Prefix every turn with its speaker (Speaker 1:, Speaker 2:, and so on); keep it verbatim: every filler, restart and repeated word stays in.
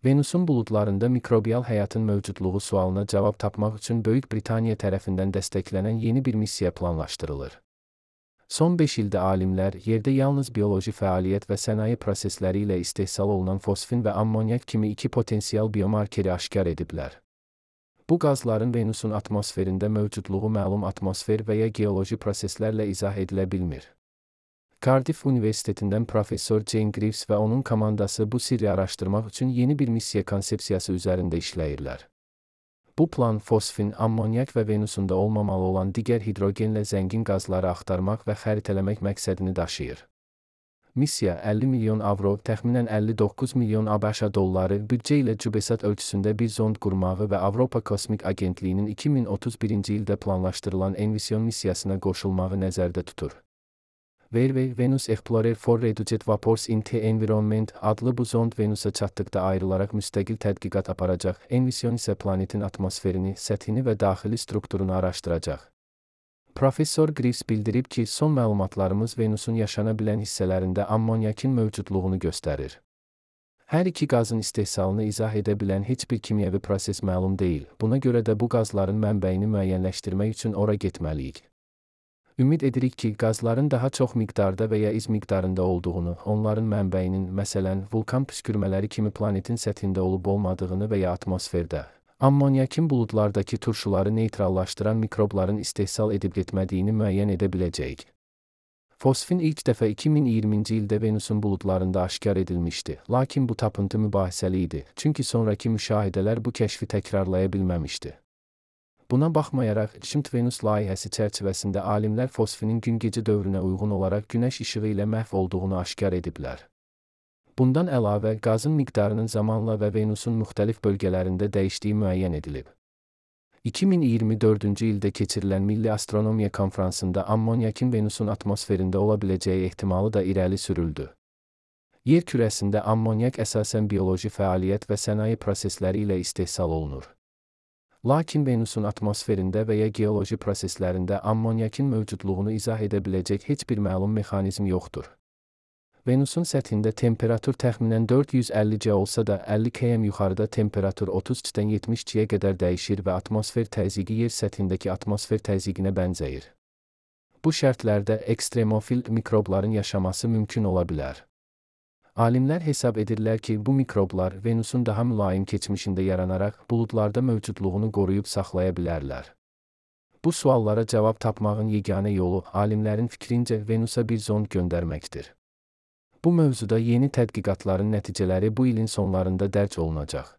Speaker 1: Venusun buludlarında mikrobial həyatın mövcudluğu sualına cavab tapmaq üçün Böyük Britaniya tərəfindən dəstəklənən yeni bir missiya planlaşdırılır. Son beş ildə alimlər yerdə yalnız bioloji fəaliyyət və sənaye prosesləri ilə istehsal olunan fosfin və ammonyak kimi iki potensial biomarkeri aşkar ediblər. Bu qazların Venusun atmosferində mövcudluğu məlum atmosfer və ya geoloji proseslərlə izah edilə bilmir. Cardiff Universitetindən professor Jane Greaves və onun komandası bu sirri araşdırmaq üçün yeni bir missiya konsepsiyası üzərində işləyirlər. Bu plan fosfin, ammonyak və Venusunda olmamalı olan digər hidrogenlə zəngin qazları axtarmaq və xəritələmək məqsədini daşıyır. Missiya əlli milyon avro, təxminən əlli doqquz milyon ABŞ dolları büdcə ilə CubeSat ölçüsündə bir zond qurmağı və Avropa Kosmik Agentliyinin iki min otuz birinci ildə planlaşdırılan Envision missiyasına qoşulmağı nəzərdə tutur. Verwey Venus Explorer for Reduced Vapors in the Environment adlı bu zond Venusa çatdıqda ayrılaraq müstəqil tədqiqat aparacaq, Envision isə planetin atmosferini, səthini və daxili strukturunu araşdıracaq. Professor Greaves bildirib ki, son məlumatlarımız Venusun yaşana bilən hissələrində ammonyakin mövcudluğunu göstərir. Hər iki qazın istehsalını izah edə bilən heç bir kimyəvi proses məlum deyil, buna görə də bu qazların mənbəyini müəyyənləşdirmək üçün ora getməliyik. Ümid edirik ki, qazların daha çox miqdarda və ya iz miqdarında olduğunu, onların mənbəyinin, məsələn, vulkan püskürmələri kimi planetin səthində olub-olmadığını və ya atmosferdə, ammonyakin buludlardakı turşuları neytrallaşdıran mikrobların istehsal edib getmədiyini müəyyən edə biləcəyik. Fosfin ilk dəfə iki min iyirminci ildə Venusun buludlarında aşkar edilmişdi, lakin bu tapıntı mübahisəli idi, çünki sonraki müşahidələr bu kəşfi təkrarlaya bilməmişdi. Buna baxmayaraq, Schmidt Venus layihəsi çərçivəsində alimlər fosfinin gün-gecə dövrünə uyğun olaraq günəş işığı ilə məhv olduğunu aşkar ediblər. Bundan əlavə, qazın miqdarının zamanla və Venusun müxtəlif bölgələrində dəyişdiyi müəyyən edilib. iki min iyirmi dördüncü ildə keçirilən Milli Astronomiya Konfransında ammonyakin Venusun atmosferində ola biləcəyi ehtimalı da irəli sürüldü. Yer kürəsində ammonyak əsasən bioloji fəaliyyət və sənaye prosesləri ilə istehsal olunur. Lakin Venusun atmosferində və ya geoloji proseslərində ammonyakin mövcudluğunu izah edə biləcək heç bir məlum mexanizm yoxdur. Venusun səthində temperatur təxminən dörd yüz əlli C olsa da əlli km yuxarıda temperatur otuz C-dən yetmiş C-yə qədər dəyişir və atmosfer təzyiqi yer səthindəki atmosfer təzyiqinə bənzəyir. Bu şərtlərdə ekstremofil mikrobların yaşaması mümkün ola bilər. Alimlər hesab edirlər ki, bu mikroblar Venusun daha mülayim keçmişində yaranaraq buludlarda mövcudluğunu qoruyub saxlaya bilərlər. Bu suallara cavab tapmağın yeganə yolu alimlərin fikrincə Venusa bir zond göndərməkdir. Bu mövzuda yeni tədqiqatların nəticələri bu ilin sonlarında dərc olunacaq.